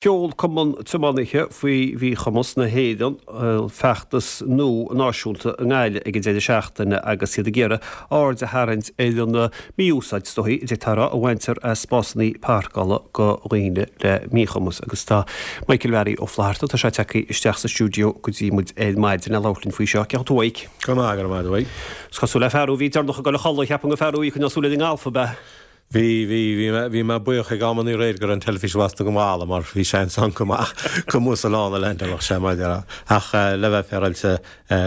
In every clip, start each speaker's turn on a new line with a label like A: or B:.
A: Sheol Cumann Tiománaithe faoi Mhíchumas na hÉireann feachtas nua náisiúnta i nGaillimh ag an deireadh seachtaine agus iad ag iarraidh aird a tharraingt ar an mí-úsáid, is dóichí, a d'fhéadfá a rá, a bhaintear as spásanna páirceála do dhaoine le míchumas. Agus tá Michael Mhearaí Ó Flatharta, tá sé tagtha isteach sa stiúideo go dtí muid ar maidin le labhairt linn faoi seo. Cén chaoi a bhfuil tú, a Mhaidhc?
B: Go maith, go raibh maith agat, a Mhaidhc.
A: Is cosúil le fear a bhí deireanach ag dul a chodladh, cheapfainn gur fear a bhí ag coinneáil súil ar an ngalf, ab ea?
B: Bhí, bhí, bhí mé, bhí mé buíoch ag amannaí aréir go raibh an teilifís lasta go mall mar bhí seans ann go mbeadh, go mba sa lán a leanfadh sé mar a déarfá. Ach le bheith féaráilte,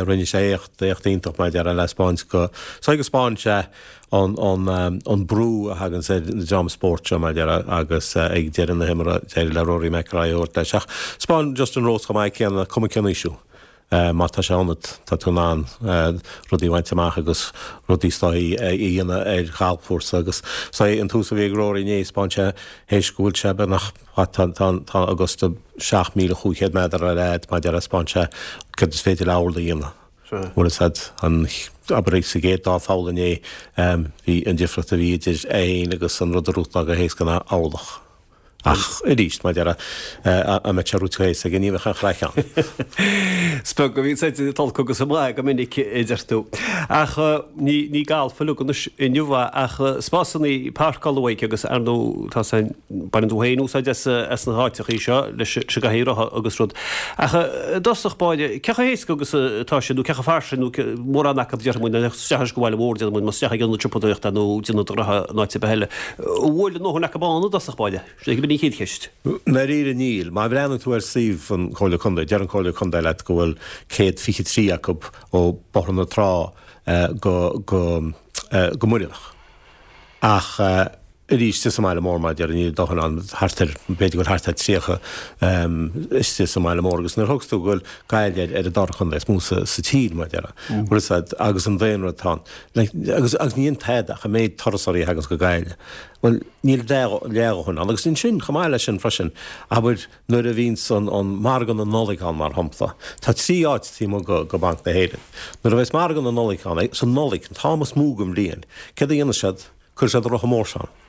B: rinne sé éacht, éacht iontach mar a déarfá le 'spáint go, so go 'spáin sé an, an, an brú a thaganns ar an dream spóirt seo mar a déarfá agus ag deireadh na himeartha d'éirigh le Rory McIlroy a thabhairt leis. Ach 'spáin Justin Rose chomh maith céanna, cuma cén aois thú. Má tá sé ionat, tá tú in ann rudaí a bhaint amach agus rudaí is dóichí a dhéanamh ar ghalfchúrsa agus is dóichí an tús a bhí ag Rory inné, 'spáin sé théis go bhfuil sé beagnach, tá, tá, tá Augusta 7,500 méadar ar fhad, mar a déarfá, 'spáin sé céard is féidir le orlach a dhéanamh. Bhfuil fhios a'd, an, abair sa gcéad dá pholl inné, bhí an difríocht a bhí idir é féin agus an rud a rútaláil go héasca ná orlach. Ach arís, mar a déarfá, an mbeadh sé rúite go héasca aige, ní bheadh aon chraic ann.
A: Is beag a bhíonn said ag olc agus ag maith go minic, a deir tú. Ach ní ní galf uilig anois inniu ach spásanna páirceála uaidh agus ar ndóigh tá sé baineann tú féin úsáid as as na háiteachaí seo leis an gcathaoir rotha agus rud. Ach i dtosach báire, cé chomh héasca agus atá sé nó cé chomh fairsing nó mórán acu déarfaidh muid isteach leis go bhaile mhór déarfaidh muid más isteach ag ionad siopadóireachta nó déanamh do ghnoithe in áit ar bith eile. An bhfuil a ndóthain acu ann i dtosach báire? Sin é an chéad cheist.
B: I ndáiríre níl. Má bhreathnaíonn tú ar suíomh an Chomhairle Contae, deir an Comhairle Contae leat go bhfuil 123 acu ó Bóthar na Trá go go go Muireadhach. Ach arís, istigh sa mbaile mór, mar a déarfá, níl a dóthain ann, thart ar, b'fhéidir go bhfuil thart ar 30 istigh sa mbaile mór. Agus nuair a thugas tú go bhfuil Gaillimh ar an dara contae is mó sa tír, mar a déarfá, bhfuil fhios a'd, agus an daonra atá ann. Like, agus, agus ní dhéanann tada ach an méid turasóirí a thaganns go Gaillimh. Bhuel, níl leathdhóthain ann. Agus ansin, chomh maith leis sin freisin, abair, nuair a bhíonns an, an margadh na Nollag ann, mar shampla, tá trí áit taobh amuigh go, go Banc na hÉireann. Nuair a bheas margadh na Nollag ann, sa Nollaig, an t-am is mó den bhliain, céard a dhéanann siad? Cuirfidh siad an rotha mór seo ann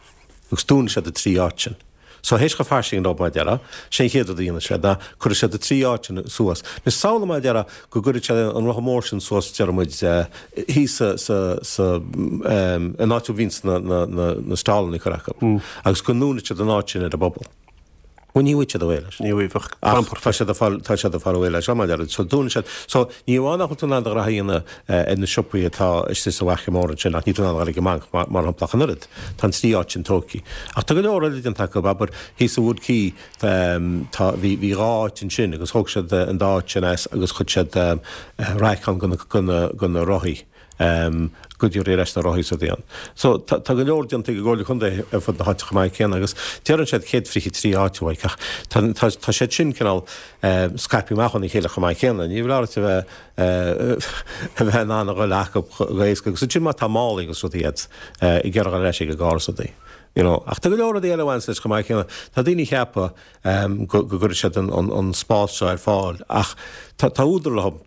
B: agus dúnfaidh siad na trí áit sin. So théis chomh fairsing leo mar a déarfá, sé an chéad rud a dhéanfaidh siad ná cuirfidh siad na trí áit sin suas. Anois samhlaigh mar a déarfá go gcuirfidh siad an rotha mór sin suas déarfaidh muid thíos sa, sa, sa, in áit a bhíonns na, na, na, na stallanna curtha acu agus go ndúnfaidh siad an áit sin ar an bpobal. Bhuel, ní bhfaighidh siad away leis.
A: Ní bhfaighidh, bheadh clamp
B: orthu. Tá siad ag fáil, tá siad ag fáil away leis, mar a déarfá. So dúnann siad, so ní amháin nach bhfuil tú in ann do ghraithe a dhéanamh ar na siopaí atá istigh sa bhFaiche Mhór ansin ach níl tú in ann a dhul ag an mbanc mar, mar shampla ach an oiread. Tá an trí áit sin tógtha. Ach tá go leor eile déanta acu, abair, thíos sa Wood Quay, tá, bhí, bhí dhá áit ansin agus thóg siad an dá áit sin as agus chuir siad raic ann do na, do na, do na rothaí. go dtabharfaí ar ais na rothaí is rudaí ann. So tá go leor déanta ag an gComhairle Contae ar fud na háite chomh maith céanna agus deireann siad 123 áit uaidh ach tá tá tá siad sin cineál scaipthe amach óna chéile chomh maith céanna. Ní foláir duit a bheith a bheith in ann a dhul acu go héasca agus ansin má tá málaí agus rudaí agat ag iarraidh dhul ar ais ag an gcarr is rudaí. You know. Ach tá go leor rudaí eile a bhaineas leis chomh maith céanna. Tá daoine ag ceapadh go go gcuirfidh siad an an an spás seo ar fáil ach tá tá údar leo.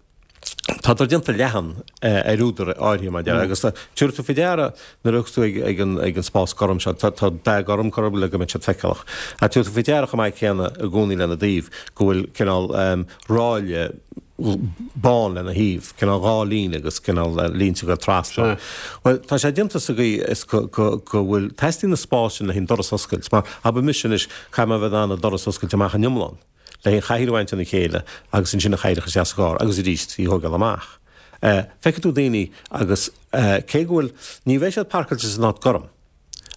B: Tádar déanta leathan ar údar áirithe mar a déarfá agus tabharfaidh tú faoi deara nuair a thiocfas tú ag an ag an spás gorm seo, tá tá dath gorm curtha le go mbeidh siad feiceálach. Ach tabharfaidh tú faoi deara chomh maith céanna i gcónaí lena dtaobh go bhfuil cineál ráille bán lena thaobh, cineál dhá líne agus cineál línte ag dul trasna. Bhuel, tá sé déanta sa gcaoi is go go go bhfuil, teastaíonn an spás sin le haghaidh an doras a oscailt mar abair mise anois, caithfidh mé a bheith in ann an doras a oscailt amach in iomlán. le haghaidh an chathaoir a bhaint óna chéile agus ansin an chathaoir a chur isteach sa gcarr agus arís í a thógáil amach. Feicfidh tú daoine agus cé go bhfuil, ní bheidh siad páirceáilte san áit gorm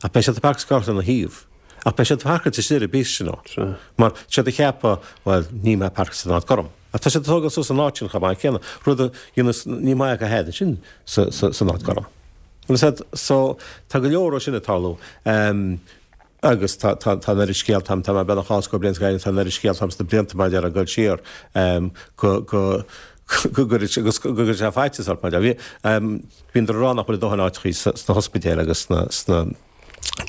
B: ach beidh siad páirceáilte lena thaobh ach beidh siad páirceáilte istigh ar bís you know mar tá siad ag ceapadh bhuel níl mé páirceáilte san áit gorm. Ach tá siad ag tógáil suas an áit sin chomh maith céanna, rud a dhéanas ní maith acu thad ansin san áit gorm. Bhfuil a fhios agat, so tá go leor ó sin ag tarlú. Agus tá, tá, tá an oiread scéalta agam, tá mé beagnach dhá scór bliain sa Ghaeilge, tá an oiread scéalta agam sna blianta mar a déarfá ag dul siar, go, go, go gcuireann sé, go gcuireann sé faitíos ort mar a déarfá. Bhí, bíonn ag rá nach bhfuil a dóthain áiteachaí sna hospidéil agus sna, sna.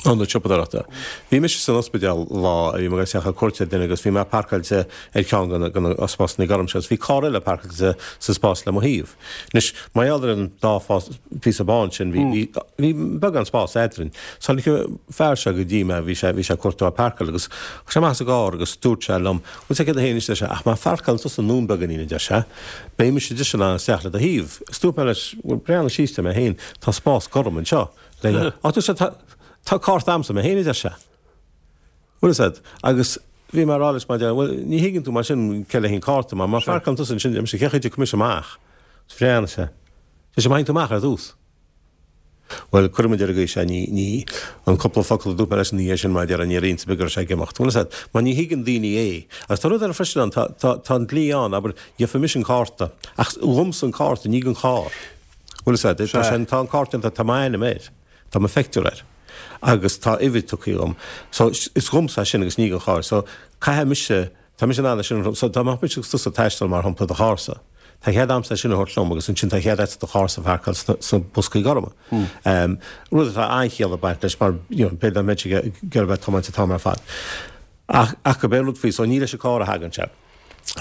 B: Ionad siopadóireachta. Bhí mise san ospidéal lá a bhí mé ag dul isteach ar cuairt ar duine agus bhí mé parcáilte ar cheann de na spásanna gorm seo agus bhí carr eile parcáilte sa spás le mo thaobh. Anois, mar gheall ar an dá phíosa bán sin, bhí bhí beagán spás eadrainn. So tháinig an fear seo go dtí mé, bhí sé bhí sé ag cuartú áit páirceáil agus chuaigh sé amach as an gcarr agus dúirt sé liom, bhfuil sé céard é féin anois, a deir sé, ach má pharcálann tusa anonn beagáinín, a deir sé, beidh mise just in ann isteach le do thaobh. Agus dúirt mé leis, bhuel, breathnaigh síos mé féin, tá spás gorm anseo. Le, ach dúirt sé, tá tá cárta a'msa mé féin, a deir sé. Bhfuil fhios a'd? Agus bhí mé a rá leis mar deir, bhuel, ní thuigeann tú mar sin cé le haghaidh an cárta, mar má pharcálann tusa ansin, deir mise, cén chaoi a dtiocfaidh mise amach? Is bhreathnaigh sé. Deir sé, má théann tú amach ar dtús. Bhuel, cuirfidh muid ar an gcaoi seo, ní, ní, an cúpla focal a dúirt mé leis ina dhiaidh sin mar deir, níor inse mé go raibh sé ag imeacht. Bhfuil fhios a'd? Mar ní thuigeann daoine é. Agus tá rud eile freisin ann, tá, tá, tá an dlí ann, abair, gheobhaidh mise an cárta, ach dhomsa an cárta, ní don charr. Bhfuil fhios a'd? Tá sé, tá an cárta déanta, tá m'ainm air. Tá mo phictiúr air. Agus tá uimhir tugtha dhom. So, is dhomsa é sin agus ní don charr. So, caithfidh mise, tá mise in ann é sin a thabhairt. So, dá mbeadh mise agus tusa ag taisteal, mar shampla, i do charr-sa, tá cead a'msa é sin a thabhairt liom agus ansin tá cead a'dsa do charr-sa a pharcáil sna, sna boscaí gorma. Rud atá an-chiall ag baint leis mar, you know, b'fhéidir dá mbeinnse ag iarraidh bheith ag tiomáint an t-am ar fad. Ach, ach gurb é an rud faoi, so ní leis an carr a thagann sé.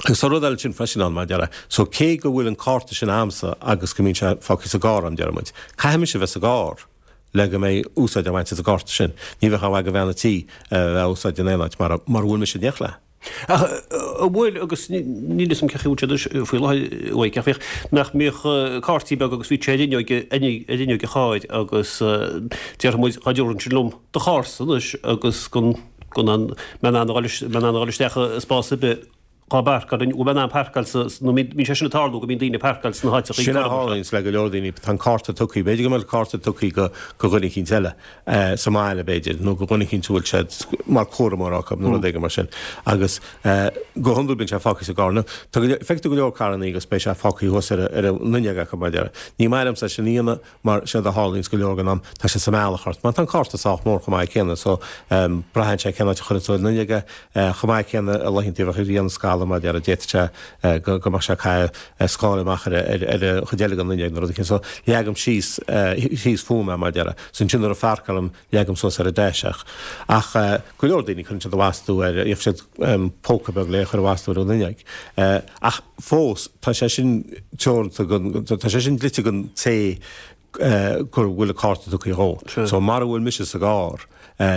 B: Agus tá rud eile ansin freisin ann, mar a déarfá. So cé go bhfuil an cárta sin a'msa agus go mbíonn sé fágtha sa gcarr a'm, deir muid, caithfidh mise a bheith sa gcarr le go mbeidh úsáid á bhaint as an gcárta sin. Ní bheadh aon mhaith do bhean an tí a bheith á úsáid in aon áit mara mara bhfuil mise in éineacht léi.
A: Ach an bhfuil, agus níl 'fhios a'm cén chaoi a bhfuil sé anois faoi láthair, uaidh, ach bhíodh, nach mbíodh cártaí beaga agus bhíodh sé ar fhuinneog, ar fhuinneog an chairr agus déarfaidh muid, dá dtabharfainnse liom do charr-sa anois agus go go mbeinn in ann a dhul isteach i spás ar bith dhá bparcáil, an bhfuil mé in ann parcáil sa, nó mbíonn sé sin ag tarlú go mbíonn daoine ag parcáil sna háiteacha
B: Sin a tharlaíonns le go leor daoine, tá an cárta tugtha, b'fhéidir go mbeadh cárta tugtha go go dhuine eicínt eile sa mbaile b'fhéidir, nó go dhuine eicínt a bhfuil siad mar cúramóir acu nó rud éigin mar sin agus go hiondúil bíonn sé fágtha sa gcarr. Nó tá go leor, feicfidh tú go leor carrannaí agus beidh sé fágtha thuas ar ar an fhuinneog acu mar a déarfá. Ní maith liomsa é sin a dhéanamh Mar séard a tharlaíonns go leor den am, tá sé sa mbealach ort. Mar tá an cárta sách mór chomh maith céanna so braitheann sé cén áit a chuireann tú ar an fhuinneog é. Chomh maith céanna i laethanta a bheadh ag déanamh scamall mar a déarfá d'fhéadfadh sé go go mbeadh sé ag caitheamh scáil amach ar ar an chuid eile den fhuinneog nó rud éicint. So leagaim síos síos fúm é mar a déarfá. So ansin nuair a pharcálaim leagaim suas ar an dash é. Ach go leor daoine cuireann siad a bhastú ar, gheobhaidh siad póca beag le cur a bhastú ar an fhuinneog. Ach fós tá sé sin teoranta don, tá sé sin dlite don té go bhfuil an cárta tugtha dhó. So mara bhfuil mise sa gcarr,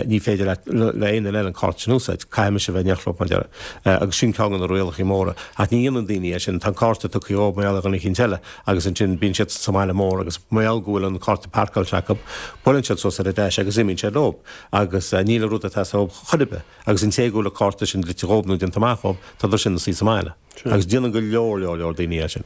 B: ní féidir le le aon duine eile an cárta sin a úsáid. Caithfidh mise a bheith in éineacht leo mar a déarfá. Agus sin ceann de na rialacha móra. Ach ní dhéanann daoine é sin. Tá an cárta tugtha dhóibh mar gheall ar dhuine eicínt eile. agus ansin bíonn siad sa mbaile mór agus mar gheall go bhfuil an cárta parcáilte acu, buaileann siad suas ar an dash agus imíonn sé leo agus níl an rud ag teastáil uathu chor ar bith agus an té go bhfuil an cárta sin dlite dhóibh nó déanta amach dhóibh, tá siad ina suí sa mbaile. Agus déanann go leor, leor, leor daoine é sin.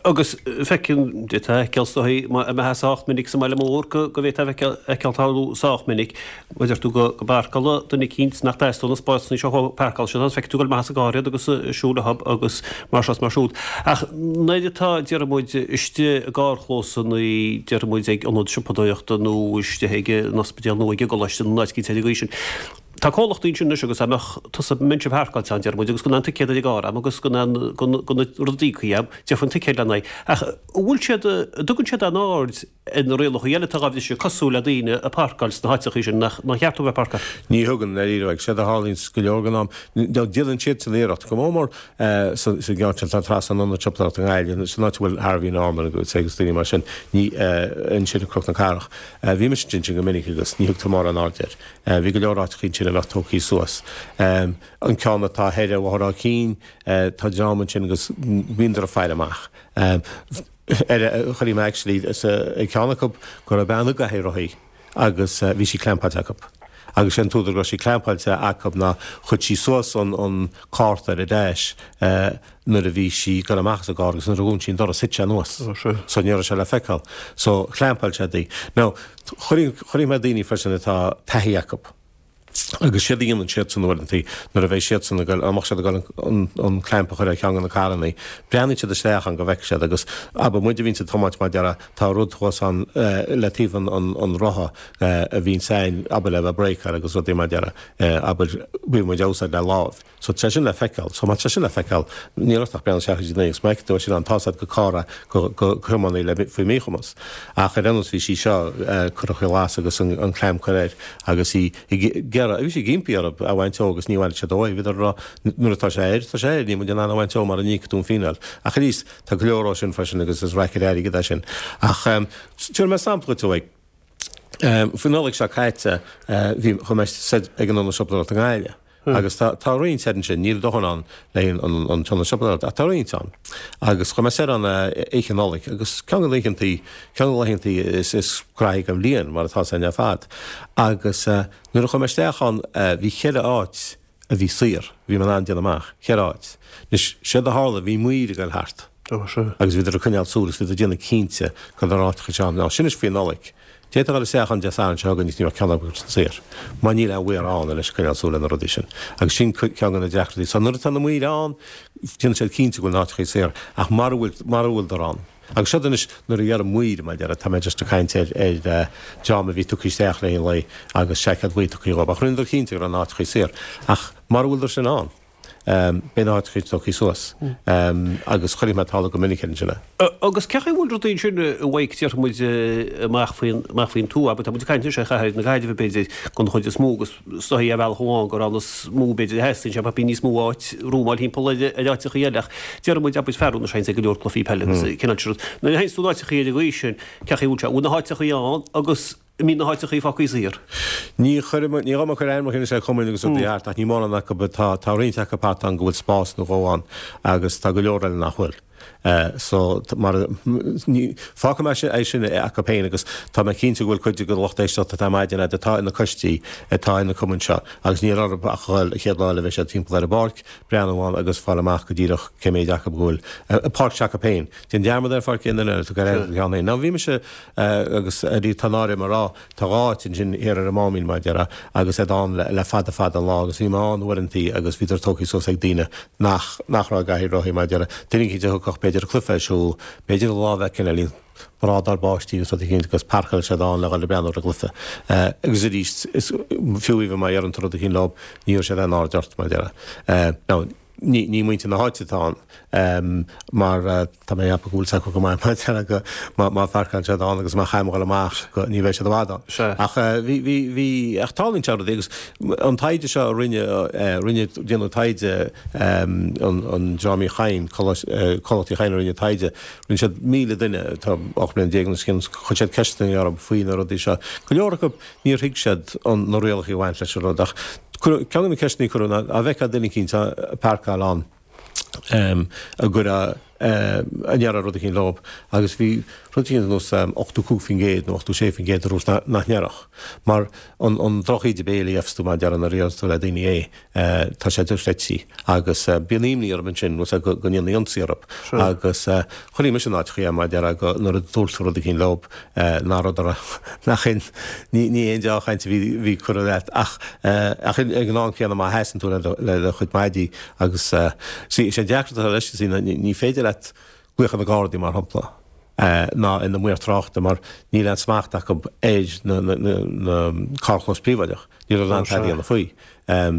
A: Agus feiceann, d'fhéadfá a fheiceáil is dóigh, má bheifeá sách minic sa mbaile mór go go bhféadfá a fheiceáil tarlú sách minic, mar a deir tú go go bparcálann duine eicínt nach dteastaíonn na spásanna seo uathu, parcálann siad ann, feicfidh tú ag dul amach as an gcarr iad agus ag siúl leo agus mar seo is mar siúd. Ach nuair atá, déarfaidh muid, istigh i gcarrchlósanna, déarfaidh muid ag ionad siopadóireachta nó istigh ag an ospidéal nó ag an gcoláiste nó in áit eicínt ar an gcaoi sin, tá comhlachtaí ansin anois agus dá mbeadh tusa, mbeinnse ag parcáilt ann, déarfaidh muid, agus gan aon ticéad ar an gcarr a'm agus gan aon, gan, gan na rudaí cuí a'm, déarfainn an ticéad lena aghaidh. Ach an bhfuil siad, an dtugann siad aon aird ar na rialacha eile atá á bhriseadh cosúil le daoine ag parcáil sna háiteacha sin nach cheart dóibh bheith ag parcáil.
B: Ní thugann, dáiríre. Séard a tharlaíonns go leor den am, déanann siadsan iarracht, go mór mór sa gceann sin atá trasna an ionad siopadóireachta i nGaillimh, san áit a bhfuil Harvey Norman agus agus daoine mar sin, ní ansin i Cnoc na Cathrach. Bhí mise ansin go minic agus ní thugtar mórán aird air. Bhí go leor áiteacha ansin a bheadh tógtha suas. An ceann atá thoir ar Bhóthar Áth Cinn, tá dream ansin agus bhíodar ag faire amach. Ar chonaic mé actually ag ceann acu go raibh bean i gcathaoir rothaí agus bhí sí clampáilte acu. Agus sé an t-údar go raibh sí clampáilte acu ná chuir sí suas an an cárta ar a dash nuair a bhí sí ag dul amach as an gcarr agus nuair a dhún sí an doras thit sé anuas. So ní raibh sé le feiceáil. So chlampáil siad í. Now chonaic mé daoine freisin atá taithí acu. Agus séard a dhéanann siadsan uaireantaí nuair a bheidh siadsan ag goil, dá mbeadh siad ag goil an clamp a chur ar cheann de na carrannaí, breathnaíonn siad isteach ann go bhfeicfidh siad agus abair muid a bhíonns ag tiomáint mar a déarfá, tá rud thuas ann le taobh an rotha a bhíonns ann, abair le bheith bréakáil agus rudaí mar a déarfá, abair, bíonn muid á úsáid le láimh. So tá sé sin le feiceáil. So má tá sé sin le feiceáil, níl ort ach breathnú isteach go dtí an agus má fheiceann tú é sin ann, tá 's agat gur carr é go go thiománaí le faoi mhíchumas. Ach ar aon nós bhí sí seo curtha faoi ghlas agus an clamp curtha air agus í ag iarraidh, bhí sí ag impí orthu é a bhaint dó agus ní bhainfeadh siad dó é. Bhíodar ag rá nuair atá sé air, tá sé air, níl muid in ann é a bhaint dó mara n-íocfaidh tú an fíneáil. Ach arís, tá go leor dó sin freisin agus is raic ar airgead é sin. Ach tabharfaidh mé sampla duit uaidh. Faoin Nollaig seo caite, bhí, chuaigh mé soir ag an ionad siopadóireachta i nGaillimh. Agus tá, tá roinnt soir ansin, níl dóthain ann le haghaidh an, an t-ionad siopadóireachta, ach tá roinnt ann. Agus chuaigh mé soir ann oíche Nollag, agus ceann de na hoícheantaí, ceann de na laethantaí is, is graithí den bhliain, mar atá againn ar fad. Agus nuair a chuaigh mé isteach ann, bhí cheithre áit a bhí saor, bhí mé in ann déanamh amach, cheithre áit. Anois, séard a tharla, bhí maoir ag dul thart. Agus bhíodar ag coinneáil súil agus bhíodar ag déanamh cinnte go raibh na háiteacha seo ann. Now, sin anois faoi Nollaig. D'fhéadfá a dhul isteach ann Dé Sathairn seo chugainn agus ní bheadh ceann acu sin saor. Mar níl aon mhaor ann leis coinneáil súil ar na rudaí sin. Agus sin ceann de na deacrachtaí. So nuair atá na maoir ann, déanann siad cinnte go bhfuil na háiteacha saor. Ach mara bhfuil, mara bhfuileadar ann. Agus seo anois nuair a dheirim maoir, mar a déarfá, tá mé just ag caint ar, ar dream a bhí tugtha isteach le haghaidh an lae agus seaicéad buí tugtha dhóibh. Ach rinneadar cinnte go raibh na háiteacha saor. Ach mara bhfuileadar sin ann. Beidh na háiteacha tógtha suas agus chonaic mé ag tarlú go minic ansin é.
A: Agus cén chaoi a bhfuil rudaí ansin a Mhaidhc, déarfaidh muid, amach faoin, amach faoin tuath, abair, tá muid ag caint anois ar chathair na Gaillimhe b'fhéidir den chuid is mó agus is dóichí ar bhealach amháin gur ann is mó b'fhéidir a theastaíonn sé, bíonn níos mó áit rúmáil thimpeall ar ar áiteachaí eile ach déarfaidh muid, abair, fear anois théanns ag go leor cluichí peile agus cineál sin rud. Nuair a théanns tú in áiteachaí ar an gcaoi sin, cén chaoi a bhfuil sé, an bhfuil na háiteachaí ann agus An mbíonn na háiteachaí fágtha saor.
B: Ní chuirfidh mé, ní ghabhfaidh mé ag cur ainmneacha anois ar chumainn agus rudaí thart ach ní mórán acu, tá, tá roinnt acu thart ann go bhfuil spás nó dhó ann agus tá go leor eile nach bhfuil. So, mar, ní, fágfaidh mé sin, é sin acu féin agus tá mé cinnte go bhfuil cuid de lucht éisteachta atá ar maidin agat atá ina coistí, atá ina cumainn seo agus níl orthu ach a dhul an chéad lá eile a bheidh siad timpeall ar an bpáirc, breathnú ann agus fáil amach go díreach cé méid acu go bhfuil, páirc s'acu féin. Déan dearmad ar pháirc aon duine eile, tar ar an gceann féin. Now bhí mise agus arís tá náire orm a rá, tá dhá áit ansin thiar ar an Máimín mar a déarfá agus iad ann le fada fada an lá agus bhí mé ann uaireantaí agus bhíodar tógtha suas ag daoine nach nach raibh i gcathaoir rothaí mar a déarfá. Duine eicínt a thiocfadh b'fhéidir an cluiche ar siúl, b'fhéidir an lá a bheith cineáilín brádár báistí agus rud eicínt agus pharcáil siad ann le dhul ag breathnú ar an gcluiche. Agus arís is fiú even má dheireann tú rud eicínt leo ní thabharfaidh siad aon aird ort mar a déarfá. Now Ní, ní muintir na háite atá ann, mar tá mé ag ceapadh go bhfuil 's acu go maith mar go má, má pharcálann siad ann agus má chaithfidh mé dhul amach go, ní bheidh siad i bhfad ann.
A: Sea.
B: Ach bhí, bhí, bhí, ach tarlaíonn sé rudaí agus an taighde seo a rinne, rinne, déanadh taighde an, an dream Uí Chadhain, Comhlacht Uí Chadhain a rinne taighde, rinne siad 1,000 duine, tá 18 bliana anois, chuir siad ceisteanna orthu faoi na rudaí seo. Go leor acu Níor thuig siad na rialacha a bhain leis an rud ach ceann de na ceisteanna a cuireadh ná an bhfeicfeá duine eicínt ag parcáil ann a gcuirfeá a ndéarfá rud eicínt leo agus bhí rud eicínt ar nós 85% nó 86% a dúirt nach ndéarfadh mar an drochíde béil a gheofas tú má deireann a tú le daoine é. Tá sé dochreidte agus bíonn imní orm ansin bhfuil 's agat go ndéanfaí ionsaí orthu agus chonaic mise in áiteachaí mar a déarfá go nuair a dúirt tú rud eicínt leo nach rud a raibh nach aon ní ní aon deá-chaint a bhí bhí curtha leat ach ach ag an am céanna má sheasann tú le do le do chuid maidí agus see is é an deacracht atá leis see ní féidir leat glaoch ar na Gardaí mar shampla ná ar na maoir tráchta mar níl aon smacht acu ar na na na carrchlós príobháideach níl in ann tada a dhéanamh faoi.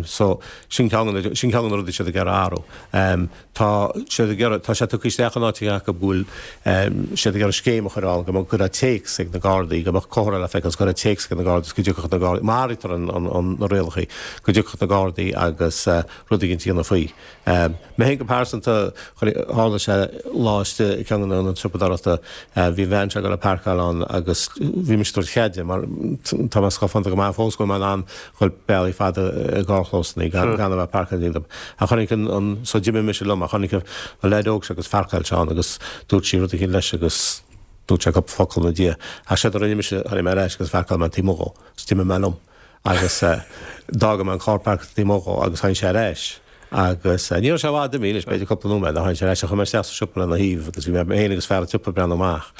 B: So, sin ceann de na, sin ceann de na rudaí siad ag iarraidh athrú. Tá siad ag iarraidh, tá sé tugtha isteach in áiteacha acu go bhfuil siad ag iarraidh scéim a chur ann go mbeadh, go raibh téacs ag na Gardaí, go mbeadh comhartha le feiceáil agus go raibh téacs ag na Gardaí agus go dtiocfadh na Gardaí, má sháraítear an, an, an, na rialacha, go dtiocfadh na Gardaí agus rud éigin a dhéanamh faoi. Mé féin go pearsanta, tharla sé lá istigh i gceann de na hionaid siopadóireachta, bhí an bhean seo ag dul ag páirceáil ann agus bhí mise ag tabhairt cead di mar tá mé scafánta go maith fós go bhfuil mé in ann dhul bealaí fada i gcarrchlósanna gan a bheith ag páirceáil díom. Ach chonaic an, an, so d'imigh mise liom ach chonaic an leaid óg seo agus pharcáil sé ann agus dúirt sí rud eicínt leis agus dúirt sé cúpla focal ina diaidh. Ach séard a rinne mise, tháinig mé ar ais agus pharcáil mé taobh amuigh dhó agus d'imigh mé liom. Agus d'fhága mé an carr páirceáilte taobh amuigh dhó agus tháinig sé ar ais. Agus ní raibh sé i bhfad imithe anois, b'fhéidir cúpla nóiméad, ach tháinig sé ar ais, chuaigh mé isteach sa siopa lena thaobh agus bhí mé féin agus fear an tsiopa ag breathnú amach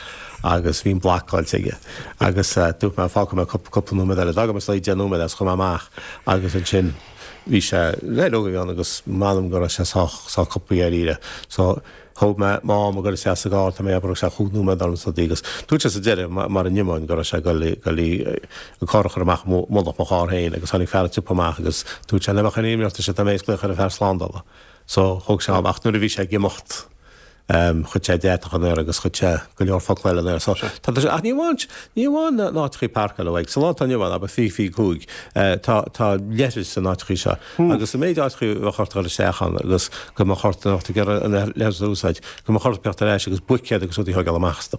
B: agus bhí an blocáilte aige. Agus dúirt mé, fágfaidh mé cúpla nóiméad eile. D'fhág mé is dóigh 10 nóiméad agus chuaigh mé amach agus ansin bhí sé, leaid óg a bhí ann agus m'anam go raibh sé sách, sách copaí dáiríre. So. Thóg mé m'am ag dul isteach sa gcarr, tá mé ag ceapadh go raibh sé chúig nóiméad orm sa agus dúirt sé sa deireadh, mar an iomáin, go raibh sé ag dul an carr a chur amach i mullach mo charr féin agus tháinig fear an tsiopa amach agus dúirt sé, ná beadh aon imní ort, ar sé, tá mé ag glaoch ar an bhfear slándála. So, thóg sé am ach nuair a bhí sé ag imeacht, chuir sé deatach in aer agus chuir sé go leor focla eile in aer. So, tá sé, ach ní amháin, ní amháin na n-áiteachaí páirceála uaidh. Sa lá atá inniu ann, abair 20 25, tá, tá leithris san áiteachaí seo. Agus an méid áiteachaí a bheadh ort a dhul isteach ann agus go mbeadh ort dá mbeadh tú ag iarraidh an leithreas a úsáid, go mbeadh ort teacht ar ais agus buicéad agus rudaí a thógáil amach astu.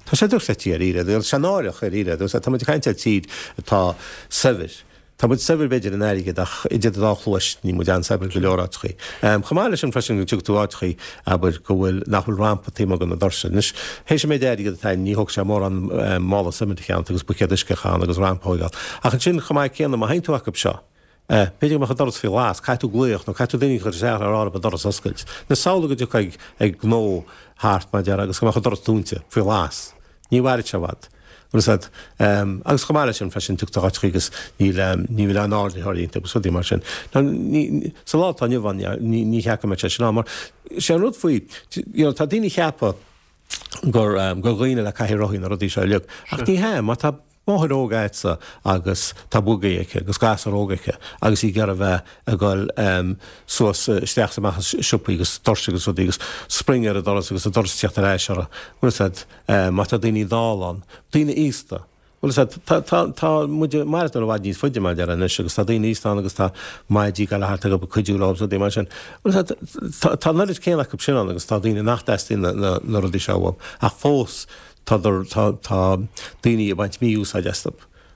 B: Tá sé dochreidte dháiríre, tá sé náireach dháiríre. Tá muid ag caint ar tír atá saibhir. Tá muid saibhir b'fhéidir in airgead ach idir an dá chluais níl muid an-saibhir go leor áiteachaí. Chomh maith leis sin freisin go dtiocfaidh tú áiteachaí, abair, go bhfuil, nach bhfuil rampa taobh amuigh de na doirse. Anois, théis an méid airgead atá ann ní thógfaidh sé mórán mála suimint a cheannacht agus buicéad uisce a chaitheamh ann agus rampa a thógáil. Ach ansin chomh maith céanna má théann tú acu seo, B'fhéidir go mbeadh an doras faoi ghlas, caithfidh tú glaoch nó caithfidh tú duine a chur isteach le rá leo an doras a oscailt. Nó samhlaigh go dtiocfá ag gnó thart mar a déarfá agus go mbeadh an doras dúnta, faoi ghlas. Ní mhairfidh sé i bhfad. Bhfuil fhios agat. Agus chomh maith leis sin freisin tiocfaidh tú áiteachaí agus níl, ní bhfuil aon ardaitheoir iontu agus rudaí mar sin. Now ní, sa lá atá inniu ann ní, ní cheapaim go mbeadh sé sin ann mar sé an rud faoi, you know, tá daoine ag ceapadh gur, gur dhaoine le cathaoir rothaí na rudaí seo uilig. Ach ní hea, má tá máthair óg agatsa agus tá buggy aici agus gasúr óg aici agus í ag iarraidh a bheith ag dul suas isteach is amach as siopaí agus doirse agus rudaí agus spring ar an doras agus an doras ag tíocht ar ais orthu. Bhfuil fhios agat, má tá daoine dall ann, daoine aosta, bhfuil fhios agat, tá, tá, tá muid ag maireachtáil i bhfad níos faide mar a déarfá anois agus tá daoine aosta ann agus tá maidí ag dul thart ag cuidiú leo agus rudaí mar sin. Bhfuil fhios agat, tá, tá an oiread céanna acu sin ann agus tá daoine nach dteastaíonn na, na, na rudaí seo uathu ach fós Tá, tá daoine ag baint mí-úsáid astu.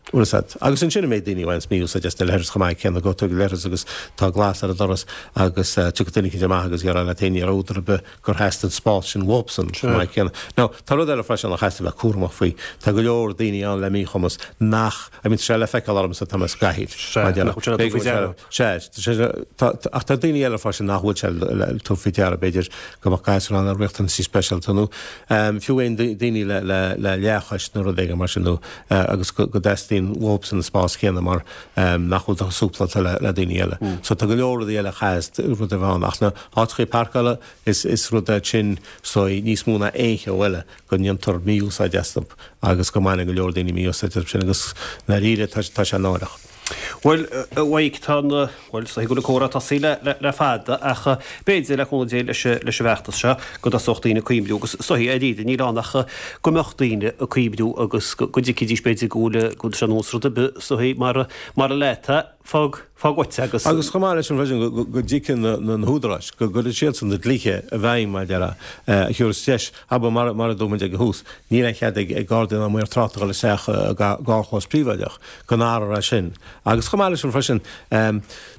B: Bhfuil fhios agat. Agus ansin an méid daoine a bhaineanns mí-úsáid as na leithris chomh maith céanna, gabhfaidh tú ag an leithreas agus tá glas ar an doras agus tiocfaidh duine eicínt amach agus déarfá leat féin ní raibh údar ar bith gur theastaigh an spás sin uathubsan chomh maith céanna. Now, tá rud eile freisin a chaithfeas a bheith cúramach faoi. Tá go leor daoine ann le míchumas nach, I mean tá sé le feiceáil ormsa, tá mé sa gcathaoir.
A: Sea, nach bhfuil sé le tabhairt faoi deara.
B: Sea, tá, ach tá daoine eile freisin nach bhfuil sé le tabhairt faoi deara, b'fhéidir go mbeadh gasúr ann le riachtanaisí speisialta nó fiú aon daoine le leathchois nó rud éigin mar sin nó agus go dteastaíonn uathubsan an spás céanna mar nach bhfuil súpláilte le daoine eile. So tá go leor rudaí eile a chaithfeas rud a bheith ann ach na háiteachaí páirceála is is rud é sin so níos mó ná aon cheo eile go ndéantar mí-úsáid astu agus go mbaineann go leor daoine mí-úsáid astu sin agus ndáiríre tá sé náireach.
A: Bhuel, a Mhaidhc, tá an, bhuel, is dóigh go bhfuil an comhrá tosaithe le, le fada ach b'fhéidir, le cúnamh Dé, leis, leis an bhfeachtas seo, go dtosódh daoine ag cuimhniú agus is dóigh, dáiríre, níl ann ach go mbeadh daoine ag cuimhniú agus go, go dtuigfidís b'fhéidir go bhfuil, go bhfuil sé ar nós rud ar bith, is dóigh, mar, mar a leat é, fág, fág uait é agus.
B: Agus chomh maith leis sin freisin, go, go dtuigfidh na, na, na húdaráis, go gcuirfidh siadsan na dlíthe i bhfeidhm, mar a déarfá, a thiúrfas deis, abair, mar, mar a dúirt muid ag an thús, níl aon chead ag, ag Gardaí ná maor tráchta a dhul isteach i gcarrchlós príobháideach. go n-athrófar é sin. Agus chomh maith leis sin freisin,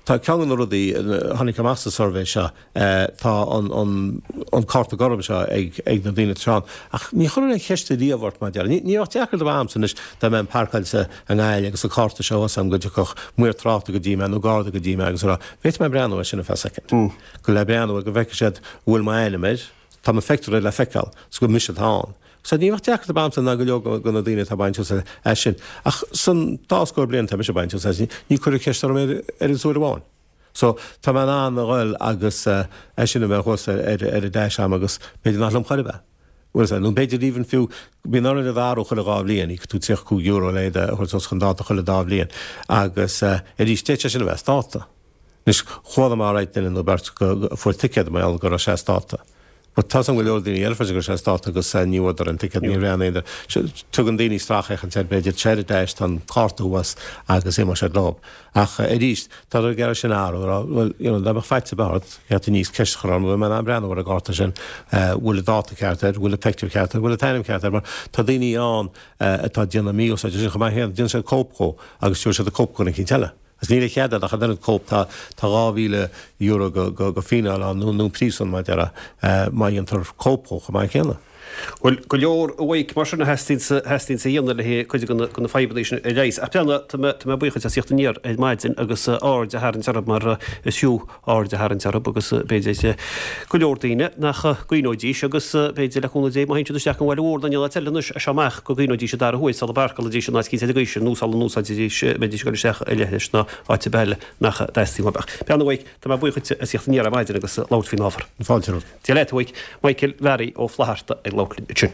B: tá ceann de na rudaí a tháinig amach sa suirbhé seo, tá an cárta gorm seo ag na daoine atá ann. Ach ní chuirfear aon cheist ariamh ort mar a déarfá. Ní bheadh deacracht ar bith a'msa anois dá mbeinn páirceáilte i nGaillimh agus an cárta seo thuas a'm go dtiocfadh maor tráchta go dtí mé nó garda go dtí mé agus a rá, bhféadfaidh mé breathnú air sin ar feadh soicind. Go le breathnú air go bhfeicfidh siad an bhfuil m'ainm air, tá mo phictiúr air le feiceáil, 's gur mise atá ann. So ní bheadh deacracht ar bith a'msa ná go leor de na daoine atá ag baint úsáid as sin. Ach san dá scór bliain atá mise ag baint úsáid as, ní cuireadh ceist orm ar an uair amháin. So tá mé in ann a ghoil agus é sin a bheith thuas ar ar an dash a'm agus b'fhéidir nach liom chor ar bith. Bhfuil fhios a'd, nó b'fhéidir even fiú, bíonn orainn iad a athrú chuile dhá bhliain, íocfaidh tú €35 le iad a thabhairt suas chun dáta chuile dá bhliain. Agus arís, d'fhéadfadh sé sin a bheith as dáta. Anois, chuala mé alright duine nó beirt go fuair ticéad mar gheall go raibh sé as dáta. But tá's a'm go leor daoine eile freisin go raibh sé as dáta agus ní bhfuaireadar an ticéad, ní raibh aon aon Tugann daoine sracfhéachaint air b'fhéidir, tá sé ar an dash, tá an cárta thuas agus imeoidh siad leo. Ach arís, tá ag iarraidh sin a athrú, a rá, bhuel, you know, dá mbeadh faitíos ar bith ort, theacht aníos ceist a chur orm, bhfuil mé in ann breathnú ar an gcárta sin, bhfuil an dáta ceart air, bhfuil an pictiúr ceart air, bhfuil an t-ainm ceart air, mar tá daoine ann atá ag déanamh mí-úsáid air sin chomh maith céanna, déanann siad cóip dhó agus tabharfaidh siad an cóip go duine eicínt eile. Agus níl a chead agat ach an oiread cóip, tá €2,000 go go fíneáil ann nó nó príosún mar a déarfá má dhéantar cóip dhó chomh maith céanna.
A: Bhuel, go leor a Mhaidhc mar sin a theastaíonns a dhéanamh le cuid de na fadhbanna sin a leigheas. Ach breathnaigh, tá mé, tá mé buíoch duit as theacht aniar ar maidin agus aird a tharraingt orthu mar is fiú aird a tharraingt orthu agus b'fhéidir go leor daoine nach gcuimhneoidís agus b'fhéidir le cúnamh Dé má théann siad isteach an bhaile mhór nó aon áit eile anois as seo amach go gcuimhneoidís an dara huair sula bpáirceálfaidís in áit eicínt ar an gcaoi sin nó sula n-úsáidfidís, mbeidís ag dul isteach i leithris nó áit ar bith eile nach dteastaíonn uathu. Ach breathnaigh a Mhaidhc, tá mé buíoch duit as theacht aniar ar maidin agus labhairt faoin ábhar.
B: Fáilte romhat.
A: Dia leat, a Mhaidhc. Michael Mhearaí Ó Flatharta ag labhairt linn ansin.